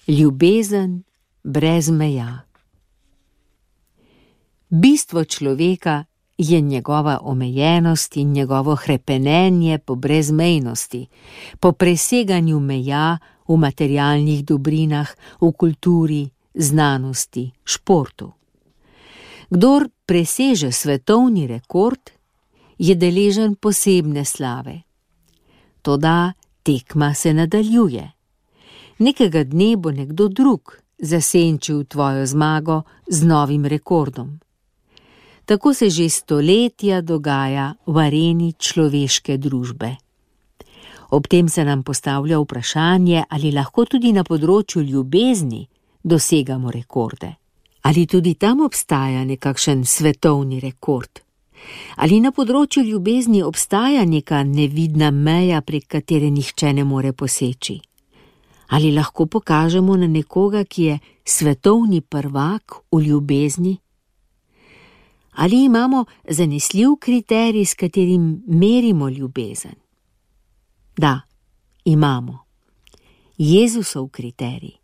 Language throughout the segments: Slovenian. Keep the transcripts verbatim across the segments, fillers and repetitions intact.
Ljubezen brez meja. Bistvo človeka je njegova omejenost in njegovo hrepenenje po brezmejnosti, po preseganju meja v materialnih dobrinah, v kulturi, znanosti, športu. Kdor preseže svetovni rekord, je deležen posebne slave. Toda tekma se nadaljuje. Nekega dne bo nekdo drug zasenčil tvojo zmago z novim rekordom. Tako se že stoletja dogaja v areni človeške družbe. Ob tem se nam postavlja vprašanje, ali lahko tudi na področju ljubezni dosegamo rekorde. Ali tudi tam obstaja nekakšen svetovni rekord? Ali na področju ljubezni obstaja neka nevidna meja, prek katere nihče ne more poseči? Ali lahko pokažemo na nekoga, ki je svetovni prvak v ljubezni? Ali imamo zanesljiv kriterij, s katerim merimo ljubezen? Da, imamo. Jezusov kriterij.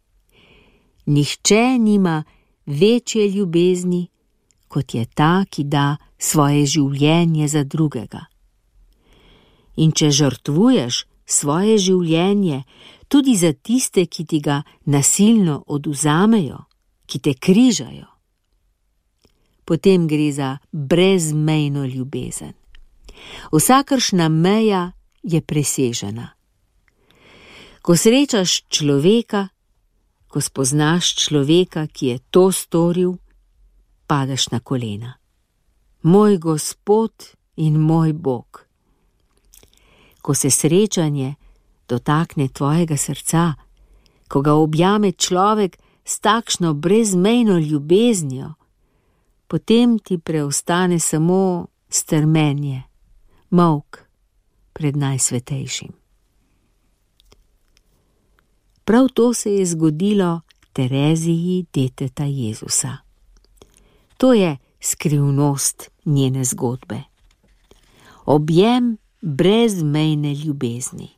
Nihče nima večje ljubezni, kot je ta, ki da svoje življenje za drugega. In če žrtvuješ svoje življenje tudi za tiste, ki ti ga nasilno oduzamejo, ki te križajo, potem gre za brezmejno ljubezen. Vsakršna meja je presežena. Ko srečaš človeka, ko spoznaš človeka, ki je to storil, padeš na kolena. Moj Gospod in moj Bog. Ko se srečanje dotakne tvojega srca, ko ga objame človek s takšno brezmejno ljubeznijo, potem ti preostane samo strmenje, molk pred najsvetejšim. Prav to se je zgodilo Tereziji, deteta Jezusa. To je skrivnost njene zgodbe. Objem brezmejne ljubezni.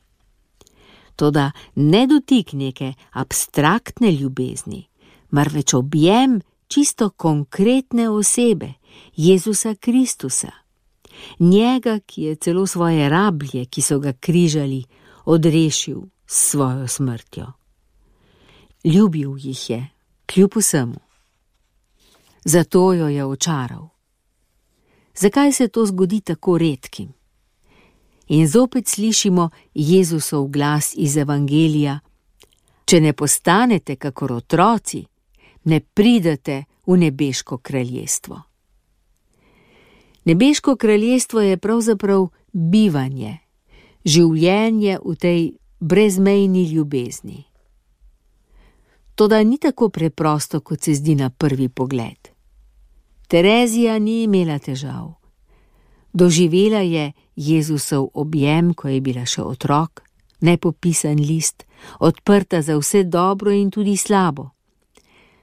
Toda ne dotik neke abstraktne ljubezni, marveč objem čisto konkretne osebe, Jezusa Kristusa. Njega, ki je celo svoje rablje, ki so ga križali, odrešil s svojo smrtjo. Ljubil jih je, kljub vsemu. Zato jo je očaral. Zakaj se to zgodi tako redkim? In zopet slišimo Jezusov glas iz Evangelija: če ne postanete kakor otroci, ne pridete v nebeško kraljestvo. Nebeško kraljestvo je pravzaprav bivanje, življenje v tej brezmejni ljubezni. Toda ni tako preprosto, kot se zdi na prvi pogled. Terezija ni imela težav. Doživela je Jezusov objem, ko je bila še otrok, nepopisan list, odprta za vse dobro in tudi slabo.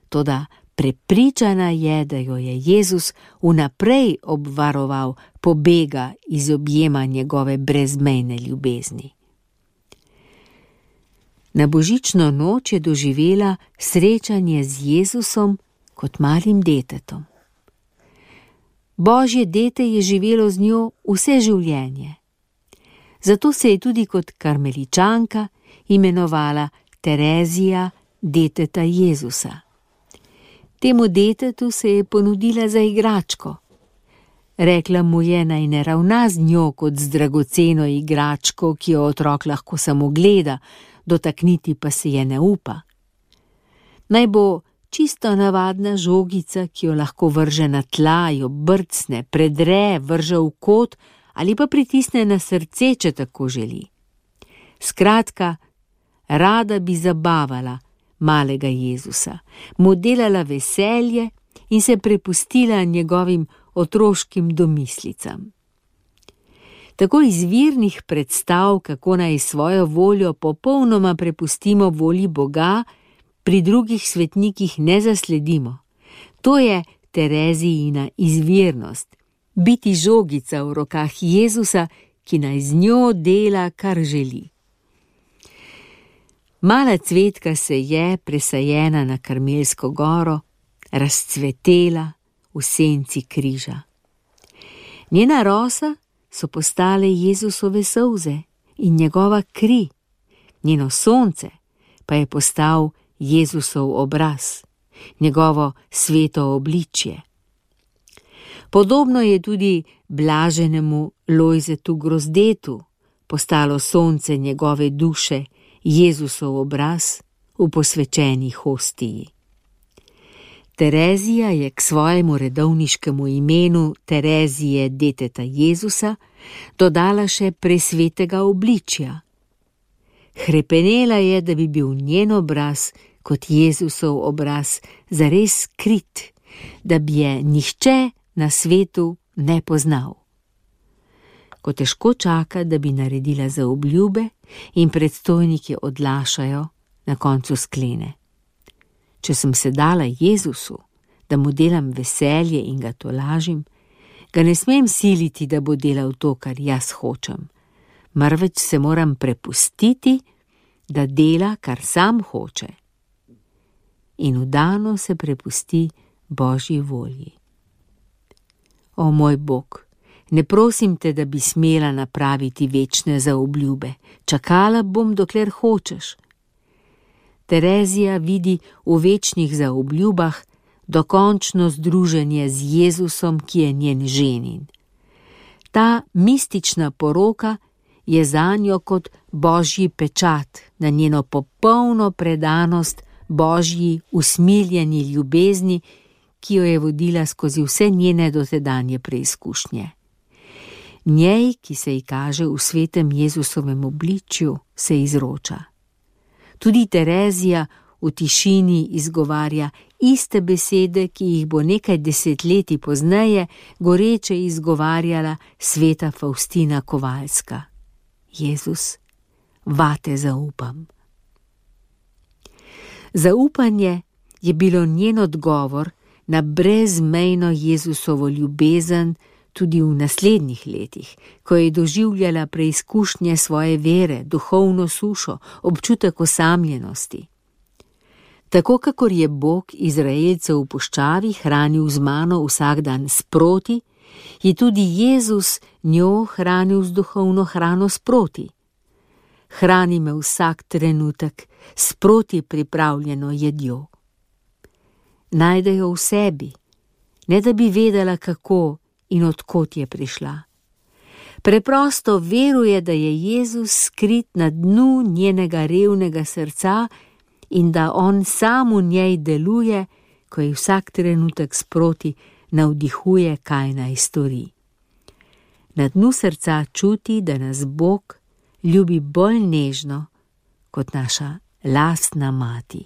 Toda prepričana je, da jo je Jezus vnaprej obvaroval pobega iz objema njegove brezmejne ljubezni. Na božično noč je doživela srečanje z Jezusom kot malim detetom. Božje dete je živelo z njo vse življenje. Zato se je tudi kot karmeličanka imenovala Terezija, deteta Jezusa. Temu detetu se je ponudila za igračko. Rekla mu je, naj ne ravna z njo kot z dragoceno igračko, ki jo otrok lahko samo gleda, dotakniti pa se je ne upa. Naj bo čisto navadna žogica, ki jo lahko vrže na tla, jo brcne, predre, vrže v kot ali pa pritisne na srce, če tako želi. Skratka, rada bi zabavala malega Jezusa, mu delala veselje in se prepustila njegovim otroškim domislicam. Tako izvirnih predstav, kako naj svojo voljo popolnoma prepustimo volji Boga, pri drugih svetnikih ne zasledimo. To je Terezijina izvirnost, biti žogica v rokah Jezusa, ki naj z njo dela, kar želi. Mala cvetka se je, presajena na Karmelsko goro, razcvetela v senci križa. Njena rosa so postale Jezusove solze in njegova kri, njeno sonce pa je postal Jezusov obraz, njegovo sveto obličje. Podobno je tudi blaženemu Lojzetu Grozdetu postalo sonce njegove duše, Jezusov obraz v posvečeni hostiji. Terezija je k svojemu redovniškemu imenu Terezije deteta Jezusa dodala še presvetega obličja. Hrepenela je, da bi bil njen obraz kot Jezusov obraz zares skrit, da bi je nihče na svetu ne poznal. Ko težko čaka, da bi naredila zaobljube in predstojniki odlašajo, na koncu sklene: če sem se dala Jezusu, da mu delam veselje in ga tolažim, ga ne smem siliti, da bo delal to, kar jaz hočem, marveč se moram prepustiti, da dela, kar sam hoče. In vdano se prepusti Božji volji. O moj Bog, ne prosim te, da bi smela napraviti večne zaobljube, čakala bom, dokler hočeš. Terezija vidi v večnih zaobljubah dokončno združenje z Jezusom, ki je njen ženin. Ta mistična poroka je zanjo kot Božji pečat na njeno popolno predanost Božji usmiljeni ljubezni, ki jo je vodila skozi vse njene dotedanje preizkušnje. Njej, ki se ji kaže v svetem Jezusovem obličju, se izroča. Tudi Terezija v tišini izgovarja iste besede, ki jih bo nekaj desetletij pozneje goreče izgovarjala sveta Faustina Kovalska. Jezus, vate zaupam. Zaupanje je bilo njen odgovor na brezmejno Jezusovo ljubezen tudi v naslednjih letih, ko je doživljala preizkušnje svoje vere, duhovno sušo, občutek osamljenosti. Tako kakor je Bog Izraelcev v puščavi hranil z mano vsak dan sproti, je tudi Jezus njo hranil z duhovno hrano sproti. Hrani me vsak trenutek sproti pripravljeno jedjo. Najde jo v sebi, ne da bi vedela, kako in odkot je prišla. Preprosto veruje, da je Jezus skrit na dnu njenega revnega srca in da on sam v njej deluje, ko ji vsak trenutek sproti navdihuje, kaj naj stori. Na dnu srca čuti, da nas Bog ljubi bolj nežno kot naša lastna mati.